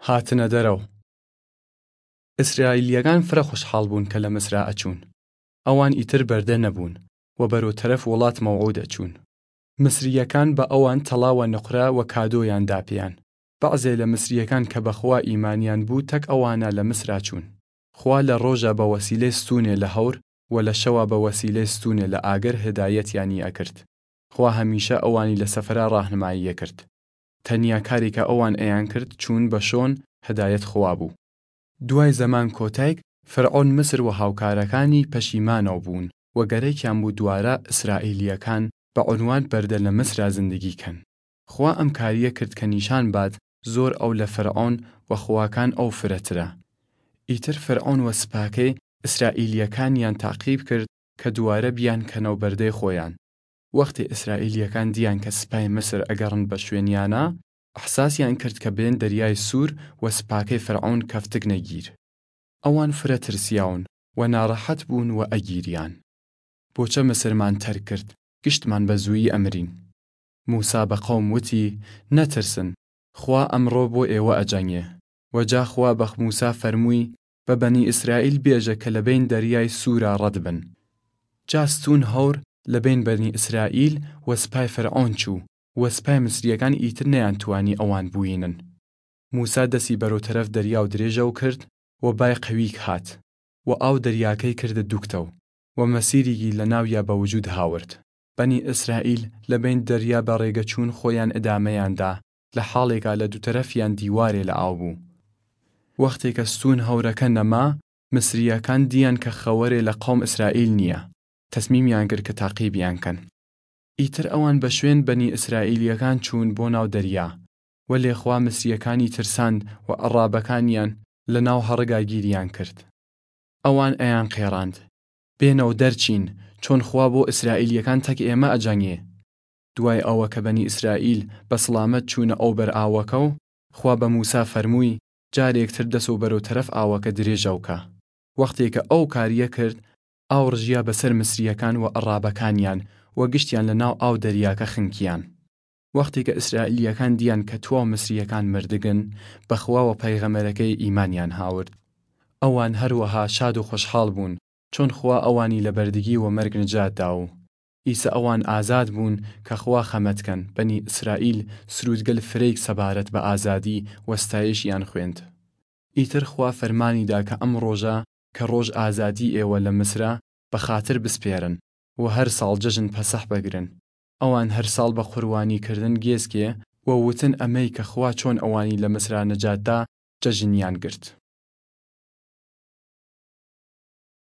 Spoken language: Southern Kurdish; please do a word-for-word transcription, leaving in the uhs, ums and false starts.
هاتنە دەرەو. ئیسرائیلیەگان فرە خوشحاڵ بوون کە لە مصرا ئەچوون. ئەوان ئیتر بەردە نەبوون و بەرەو تەرەف وڵات مەوعود ئەچوون. مصریەکان بە ئەوان تەڵا و نقرە و کادۆیان دا پێیان. بەعزێ لە مصریەکان کە بە خوا ئیمانیان بوو تەک ئەوانا لە مصرا چوون. خوا لە ڕۆژا بە وەسیلەی ستوونێ لە هەور و لە شەوا بە وەسیلەی ستوونێ لە ئاگر هدایەتیانی ئەکرد. خوا هەمیشە ئەوانی لە سەفرا ڕاهنمایی ئەکرد. تەنیا کارێ کە ئەوان ئەیان کرد چوون بە شۆن هدایەت خوا بوو. دوای زەمان کۆتایگ، فرعۆن مصر و هاوکارەکانی پەشیمانەو بوون و گەرەکیان بوو دووارە ئیسرائیلیەکان بە عونوان بەردە لە مصرا زندگی کەن. خوا ئەم کاریە کرد کە نیشان باد زۆر ئەو لە فرعۆن و خواکان ئەو فرەترە. ئیتر فرعۆن و سپاکەی ئیسرائیلیەکانیان تاقیب کرد کە دووارە بیان کەنەو بەردەی خوەیان. وەختێ ئیسرائیلیەکان دیان کە سپای مصر ئەگەڕن بە شوێنیانا، ئحساسیان کرد کە بێن دەریای سوور و سپاکەی فرعۆن کەفتگنە گیر. ئەوان فرە ترسیاون و ناڕەحەت بوون و ئەگیریان. بۆچە مصرمان تەرک کرد، گشتمان بە زوویی ئەمرین. موسا بە قەوم وتی، نەترسن، خوا ئەمڕۆ بۆ ئێوە ئەجەنگێ. و جا خوا بە موسا فەرمووی، بە بەنی ئیسرائیل بێژە کە لە بەین دەریای سوورا ڕەد بن. جا ستوون هەور لە بەین بەنی ئیسرائیل و سپای فرعۆن چوو و سپای مصریەکان ئیتر نەیان توانی ئەوان بوینن. موسا دەسی بەرەو تەرەف دەریاو درێژەو کرد و بای قەویگ هات و ئاو دەریاکەی کردە دوکتەو و مەسیریگی لە ناویا بە وجوود هاورد. بەنی ئیسرائیل لە بەین دەریا بە ڕێگە چوون خوەیان ئدامەیان دا، لە حاڵێکا لە دوو تەرەفیان دیوارێ لە ئاو بوو. وەختێ کە ستوون هەورەکە نەما، مصریەکان دیان کە خەوەرێ لە قەوم ئیسرائیل نیە، تەسمیمیان کرد کە تاقیبیان کەن. ئیتر ئەوان بە شوێن بەنی ئیسرائیلیەکان چوون بۆ ناو دەریا، وەلێ خوا مصریەکانی ترساند و عەڕابەکانیان لە ناو هەڕگا گیریان کرد. ئەوان ئەیان قێڕاند، بێنەو دەرچین، چۆن خوا بۆ ئیسرائیلیەکان تەک ئێمە ئەجەنگێ. دوای ئەوە کە بەنی ئیسرائیل بە سڵامەت چوونە ئەو بەر ئاوەکەو، خوا بە موسا فەرمووی، جارێکتر دەسەو بەرەو تەرەف ئاوەکە درێژەو کە. وەختێ کە ئەو کاریە کرد، ئاو ڕژیا بەسەر مصریەکان و عەڕابەکانیان و گشتیان لە ناو ئاو دەریاکە خنکیان. وەختێ کە ئیسرائیلیەکان دیان کە تواو مصریەکان مردگن، بە خوا و پەیغەمەرەکەی ئیمانیان هاورد. ئەوان هەروەها شاد و خوشحاڵ بوون، چۆن خوا ئەوانی لە بەردگی و مەرگ نجات داو. ئیسە ئەوان ئازاد بوون کە خوا خەمەت کەن. بەنی ئیسرائیل سروودگەل فرەیگ سەبارەت بە ئازادی و ستایشیان خوێند. ئیتر خوا فەرمانی دا کە ئەم ڕۆژە کە ڕۆژ ئازادی ئێوە لە مصرە بە خاتر بسپێرن و هەر ساڵ جەژن پەسح بەگرن. ئەوان هەر ساڵ بە قوربانی کردن گێسکێ و وتن ئەمەی کە خوا چۆن ئەوانی لە مصرا نجات دا جەژنیان گرت.